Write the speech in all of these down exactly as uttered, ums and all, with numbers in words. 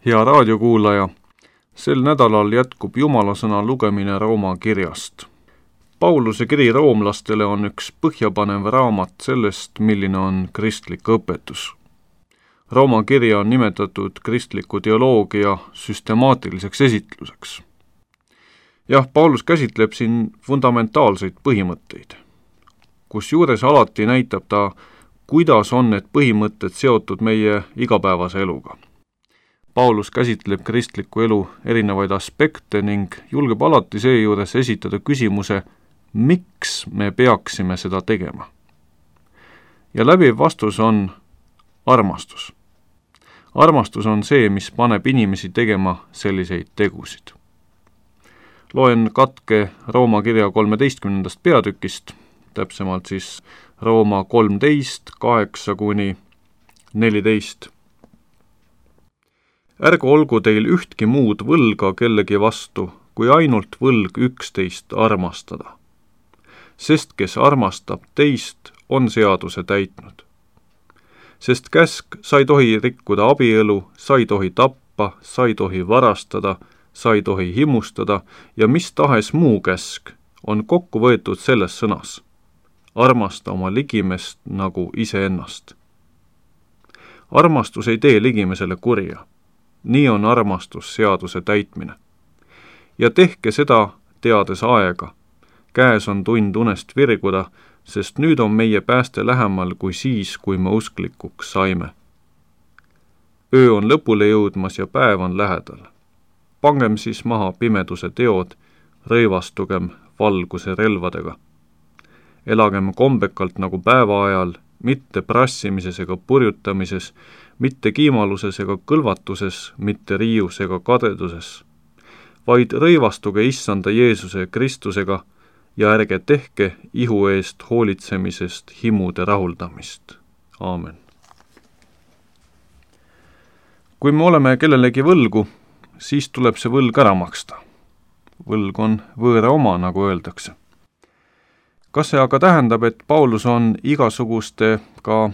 Hea raadiokuulaja, sel nädalal jätkub Jumala sõna lugemine Rooma kirjast. Pauluse kiri roomlastele on üks põhjapanev raamat sellest, milline on kristlik õpetus. Rooma kirja on nimetatud kristliku teoloogia süstemaatiliseks esitluseks. Jah, Paulus käsitleb siin fundamentaalseid põhimõtteid, kusjuures alati näitab ta, kuidas on need põhimõtted seotud meie igapäevase eluga. Paulus käsitleb kristliku elu erinevaid aspekte ning julgeb alati seejuures esitada küsimuse, miks me peaksime seda tegema. Ja läbiv vastus on armastus. Armastus on see, mis paneb inimesi tegema selliseid tegusid. Loen katke Rooma kirja kolmeteistkümnendast peatükist, täpsemalt siis Rooma kolmteist, kaheksa kuni neliteist. Ärgu olgu teil ühtki muud võlga kellegi vastu, kui ainult võlg üksteist armastada. Sest kes armastab teist, on seaduse täitnud. Sest käsk, sa ei tohi rikkuda abielu, sa ei tohi tappa, sa ei tohi varastada, sa ei tohi himustada ja mis tahes muu käsk on kokku võetud selles sõnas. Armasta oma ligimest nagu iseennast. Armastus ei tee ligimesele kurja. Nii on armastus seaduse täitmine. Ja tehke seda teades aega. Käes on tund unest virguda, sest nüüd on meie pääste lähemal kui siis, kui me usklikuks saime. Öö on lõpule jõudmas ja päev on lähedal. Pangem siis maha pimeduse teod, rõivastugem valguse relvadega. Elagem kombekalt nagu päeva ajal, mitte prassimises ega purjutamises, mitte kiimaluses ega kõlvatuses, mitte riius ega kadeduses, vaid rõivastuge issanda Jeesuse Kristusega ja ärge tehke ihu eest hoolitsemisest himude rahuldamist. Aamen. Kui me oleme kellelegi võlgu, siis tuleb see võlg ära maksta. Võlg on võõra oma, nagu öeldakse. Kas see aga tähendab, et Paulus on igasuguste ka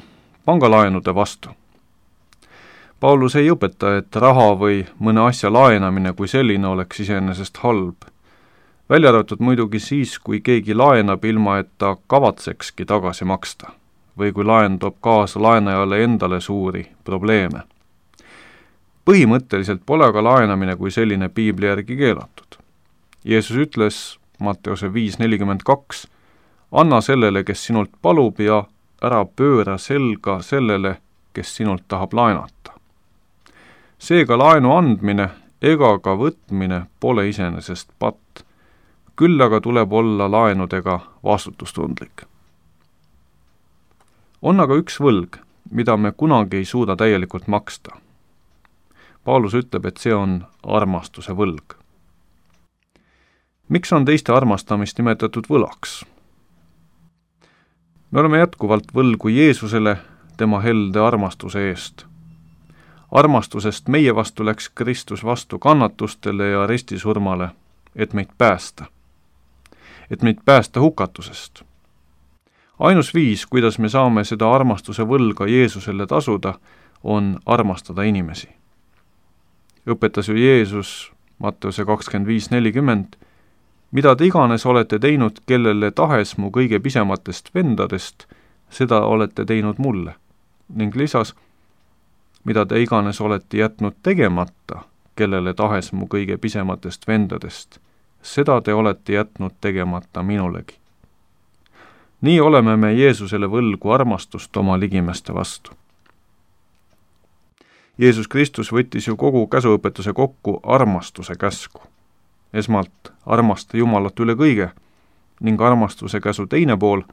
pangalaenude vastu? Paulus ei õpeta, et raha või mõne asja laenamine kui selline oleks iseenesest halb. Välja arvatud muidugi siis, kui keegi laenab ilma, et ta kavatsekski tagasi maksta, või kui laen toob kaasa laenajale endale suuri probleeme. Põhimõtteliselt pole aga laenamine kui selline piibli järgi keelatud. Jeesus ütles Matteuse viis nelikümmend kaks, anna sellele, kes sinult palub ja ära pööra selga sellele, kes sinult tahab laenata. Seega laenu andmine ega ka võtmine pole iseenesest patt, küll aga tuleb olla laenudega vastutustundlik. On aga üks võlg, mida me kunagi ei suuda täielikult maksta. Paulus ütleb, et see on armastuse võlg. Miks on teiste armastamist nimetatud võlaks? Me oleme jätkuvalt võlgu Jeesusele tema helde armastuse eest. Armastusest meie vastu läks Kristus vastu kannatustele ja ristisurmale, et meid päästa. Et meid päästa hukatusest. Ainus viis, kuidas me saame seda armastuse võlga Jeesusele tasuda, on armastada inimesi. Õpetas ju Jeesus Matteuse kakskümmend viis nelikümmend, mida te iganes olete teinud kellele tahes mu kõige pisematest vendadest, seda olete teinud mulle. Ning lisas, mida te iganes olete jätnud tegemata kellele tahes mu kõige pisematest vendadest, seda te olete jätnud tegemata minulegi. Nii oleme me Jeesusele võlgu armastust oma ligimeste vastu. Jeesus Kristus võttis ju kogu käsuõpetuse kokku armastuse käsku. Esmalt armasta Jumalat üle kõige ning armastuse käsu teine pool,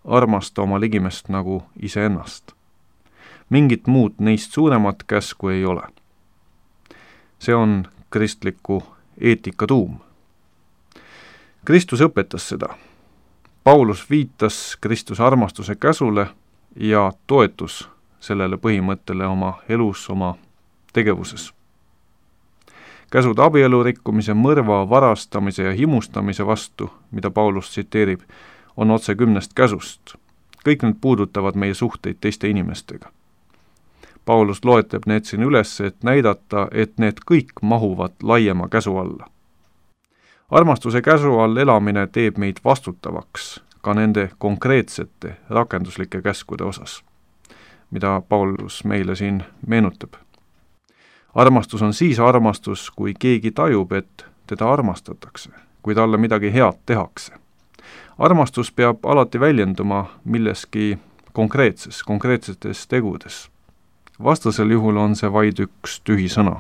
armasta oma ligimest nagu iseennast. Mingit muud neist suuremat käsku ei ole. See on kristliku eetika tuum. Kristus õpetas seda. Paulus viitas Kristuse armastuse käsule ja toetus sellele põhimõttele oma elus, oma tegevuses. Käsud abielu rikkumise, mõrva, varastamise ja himustamise vastu, mida Paulus tsiteerib, on otse kümnest käsust. Kõik need puudutavad meie suhteid teiste inimestega. Paulus loetleb need siin üles, et näidata, et need kõik mahuvad laiema käsu alla. Armastuse käsu all elamine teeb meid vastutavaks ka nende konkreetsete rakenduslike käskude osas, mida Paulus meile siin meenutab. Armastus on siis armastus, kui keegi tajub, et teda armastatakse, kui talle midagi head tehakse. Armastus peab alati väljenduma milleski konkreetses, konkreetsetes tegudes. Vastasel juhul on see vaid üks tühi sõna.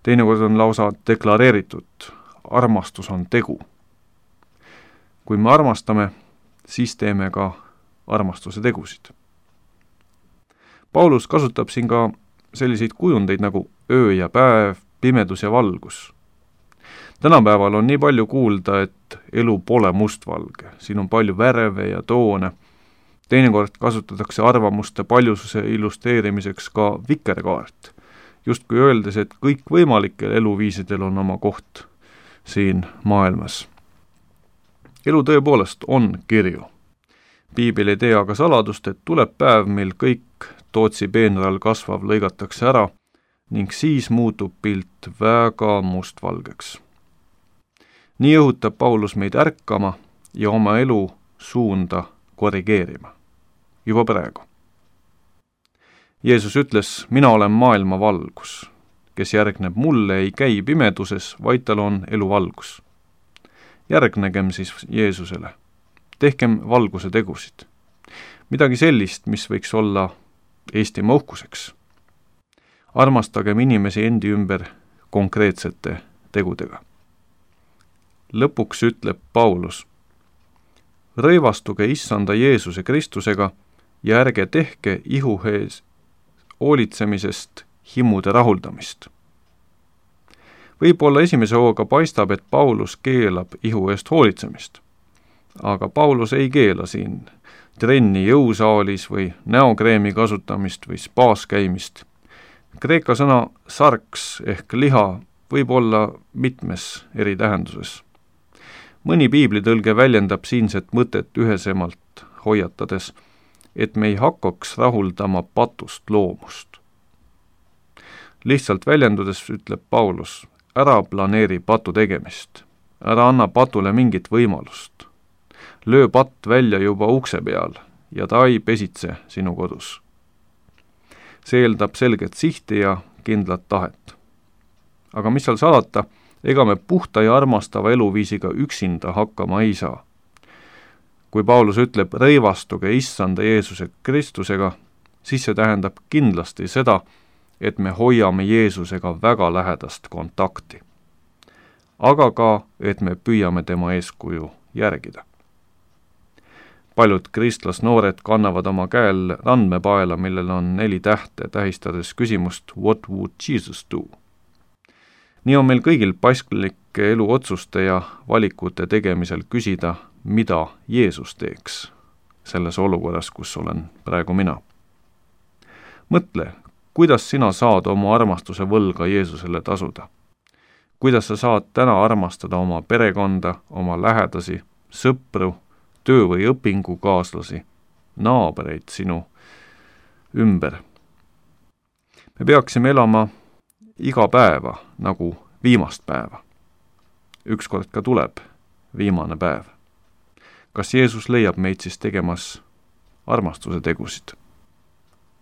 Teinekord on lausa deklareeritud, armastus on tegu. Kui me armastame, siis teeme ka armastuse tegusid. Paulus kasutab siin ka selliseid kujundeid nagu öö ja päev, pimedus ja valgus. Tänapäeval on nii palju kuulda, et elu pole mustvalge. Siin on palju värve ja toone. Teinekord kasutatakse arvamuste paljususe illustreerimiseks ka vikerkaart, justkui öeldes, et kõik võimalikel eluviisidel on oma koht siin maailmas. Elu tõepoolest on kirju. Piibel ei tea aga saladust, et tuleb päev, mil kõik Tootsi peenral kasvav lõigatakse ära ning siis muutub pilt väga mustvalgeks. Nii õhutab Paulus meid ärkama ja oma elu suunda korrigeerima. Juba praegu. Jeesus ütles, mina olen maailma valgus. Kes järgneb mulle, ei käi pimeduses, vaid tal on elu valgus. Järgnegem siis Jeesusele. Tehkem valguse tegusid. Midagi sellist, mis võiks olla Eestimaa uhkuseks. Armastagem inimesi endi ümber konkreetsete tegudega. Lõpuks ütleb Paulus, rõivastuge issanda Jeesuse Kristusega ja ärge tehke ihu ees hoolitsemisest himude rahuldamist. Võib-olla esimese hooga paistab, et Paulus keelab ihu eest hoolitsemist, aga Paulus ei keela siin trenni jõusaalis või näokreemi kasutamist või spaas käimist. Kreeka sõna sarks ehk liha võib olla mitmes eri tähenduses. Mõni piiblitõlge väljendab siinset mõtet ühesemalt hoiatades, et me ei hakkaks rahuldama patust loomust. Lihtsalt väljendudes ütleb Paulus, ära planeeri patu tegemist, ära anna patule mingit võimalust. Löö patt välja juba ukse peal ja ta ei pesitse sinu kodus. See eeldab selget sihti ja kindlat tahet. Aga mis seal salata, ega me puhta ja armastava eluviisiga üksinda hakkama ei saa. Kui Paulus ütleb, rõivastuge issanda Jeesuse Kristusega, siis see tähendab kindlasti seda, et me hoiame Jeesusega väga lähedast kontakti. Aga ka, et me püüame tema eeskuju järgida. Paljud kristlasnoored kannavad oma käel randmepaela, millel on neli tähte, tähistades küsimust What would Jesus do? Nii on meil kõigil pasklike eluotsuste ja valikute tegemisel küsida, mida Jeesus teeks selles olukorras, kus olen praegu mina. Mõtle, kuidas sina saad oma armastuse võlga Jeesusele tasuda? Kuidas sa saad täna armastada oma perekonda, oma lähedasi, sõpru, töö- või õpingukaaslasi, naabreid sinu ümber? Me peaksime elama iga päeva nagu viimast päeva. Ükskord ka tuleb viimane päev. Kas Jeesus leiab meid siis tegemas armastuse tegusid?